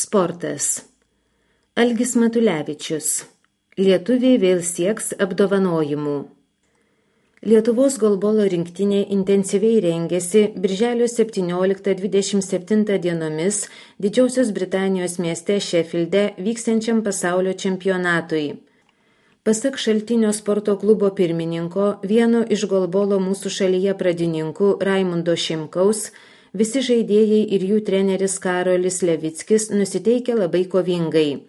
Sportas. Algis Matulevičius. Lietuviai vėl sieks apdovanojimų. Lietuvos golbolo rinktinė intensyviai rengėsi birželio 17-27 dienomis Didžiosios Britanijos mieste Šefilde vyksiančiam pasaulio čempionatui. Pasak Šaltinio sporto klubo pirmininko, vieno iš golbolo mūsų šalyje pradininkų Raimundo Šimkaus, visi žaidėjai ir jų treneris Karolis Levickis nusiteikia labai kovingai.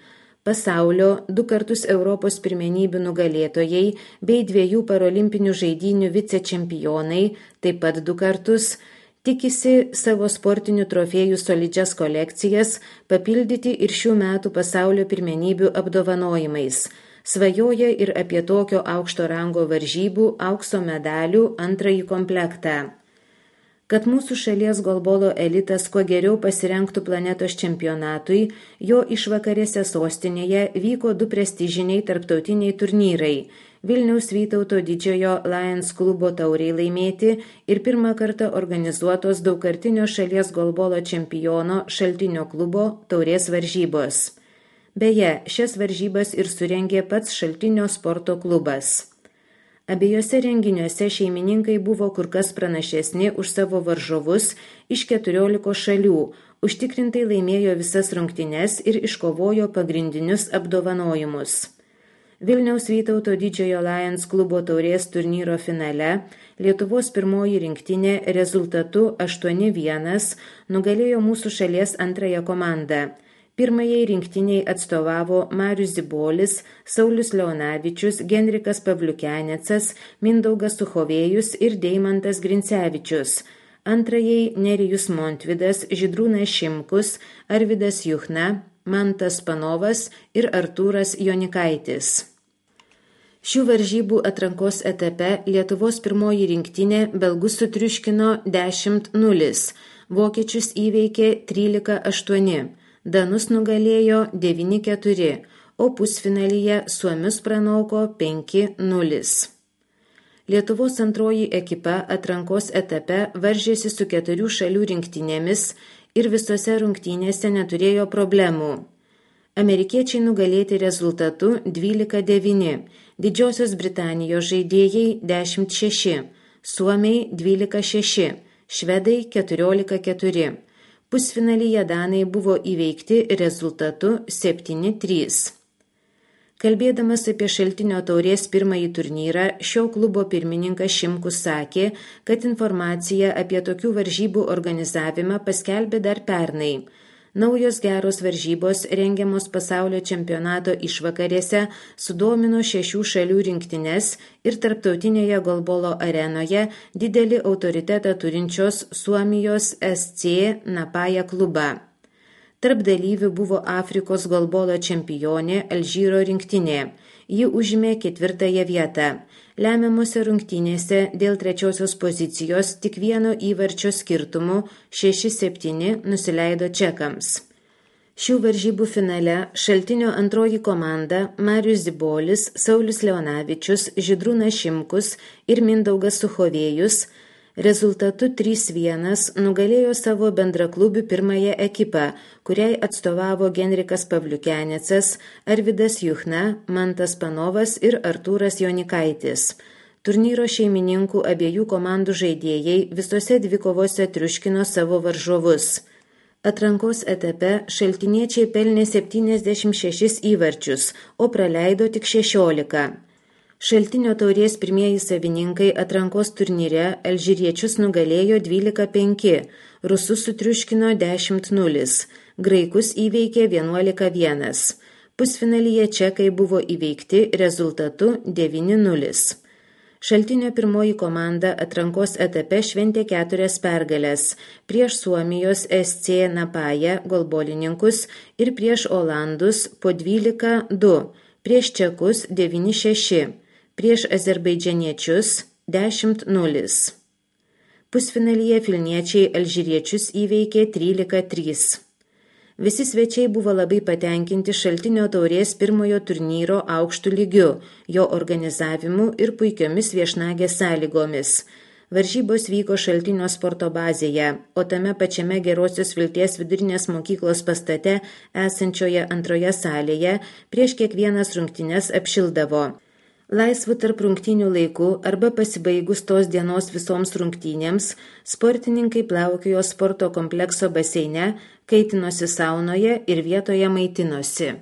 Pasaulio, 2 kartus Europos pirmenybių nugalėtojai bei 2 parolimpinių žaidynių vicečempionai, taip pat 2 kartus, tikisi savo sportinių trofėjų solidžias kolekcijas papildyti ir šių metų pasaulio pirmenybių apdovanojimais. Svajoja ir apie tokio aukšto rango varžybų aukso medalių 2 komplektą. Kad mūsų šalies golbolo elitas kuo geriau pasirengtų planetos čempionatui, jo išvakarėse sostinėje vyko 2 prestižiniai tarptautiniai turnyrai – Vilniaus Vytauto didžiojo Lions klubo tauriai laimėti ir 1 kartą organizuotos daugkartinio šalies golbolo čempiono Šaltinio klubo taurės varžybos. Beje, šias varžybas ir surengė pats Šaltinio sporto klubas. Abiejose renginiuose šeimininkai buvo kur kas pranašesni už savo varžovus iš 14 šalių, užtikrintai laimėjo visas rungtynes ir iškovojo pagrindinius apdovanojimus. Vilniaus Vytauto didžiojo Lions klubo taurės turnyro finale Lietuvos pirmoji rinktinė rezultatu 8-1 nugalėjo mūsų šalies 2 komandą. Pirmajai rinktiniai atstovavo Marius Zibolis, Saulius Leonavičius, Genrikas Pavliukenecas, Mindaugas Suchovėjus ir Deimantas Grincevičius. Antrajai Nerijus Montvidas, Žydrūnas Šimkus, Arvydas Juchna, Mantas Panovas ir Artūras Jonikaitis. Šių varžybų atrankos etape Lietuvos pirmoji rinktinė belgus sutriuškino 10-0, vokiečius įveikė 13-8. Danus nugalėjo 9-4, o pusfinalyje suomius pranoko 5-0. Lietuvos antroji ekipa atrankos etape varžėsi su 4 šalių rinktinėmis ir visose rungtynėse neturėjo problemų. Amerikiečiai nugalėti rezultatu 12-9, Didžiosios Britanijos žaidėjai 10-6, Suomiai 12-6, Švedai 14-4. Pusfinalyje danai buvo įveikti rezultatu 7-3. Kalbėdamas apie Šaltinio taurės pirmąjį turnyrą, šio klubo pirmininkas Šimkus sakė, kad informaciją apie tokių varžybų organizavimą paskelbė dar pernai. Naujos geros varžybos rengiamos pasaulio čempionato išvakarėse sudomino 6 šalių rinktines ir tarptautinėje golbolo arenoje didelį autoritetą turinčios Suomijos SC Napaja klubą. Tarp dalyvių buvo Afrikos golbolo čempionė Alžyro rinktinė. Ji užėmė 4 vietą. Lemiamose rungtynėse dėl 3 pozicijos tik 1 įvarčio skirtumu 6-7 nusileido čekams. Šių varžybų finale Šaltinio antroji komanda Marius Zibolis, Saulius Leonavičius, Žydrūnas Šimkus ir Mindaugas Suchovėjus rezultatu 3-1 nugalėjo savo bendraklubių pirmąją ekipą, kuriai atstovavo Genrikas Pavliukenecas, Arvydas Juchna, Mantas Panovas ir Artūras Jonikaitis. Turnyro šeimininkų abiejų komandų žaidėjai visose dvikovose triuškino savo varžovus. Atrankos etape šaltiniečiai pelnė 76 įvarčius, o praleido tik 16. Šaltinio taurės pirmieji savininkai atrankos turnyre alžyriečius nugalėjo 12-5, rusus sutriuškino 10-0, graikus įveikė 11-1. Pusfinalyje čekai buvo įveikti rezultatu 9-0. Šaltinio pirmoji komanda atrankos etape šventė 4 pergales prieš Suomijos SC Napaja golbolininkus ir prieš Olandus po 12-2, prieš čekus 9-6. Prieš azerbaidžianiečius 10-0. Pusfinalyje filniečiai alžyriečius įveikė 13-3. Visi svečiai buvo labai patenkinti Šaltinio taurės pirmojo turnyro aukštų lygiu, jo organizavimu ir puikiomis viešnagės sąlygomis. Varžybos vyko Šaltinio sporto bazėje, o tame pačiame Gerosios Vilties vidurinės mokyklos pastate esančioje antroje salėje prieš kiekvienas rungtynes apšildavo. Laisvu tarp rungtynių laiku arba pasibaigus tos dienos visoms rungtynėms, sportininkai plaukiojo sporto komplekso baseine, kaitinosi saunoje ir vietoje maitinosi.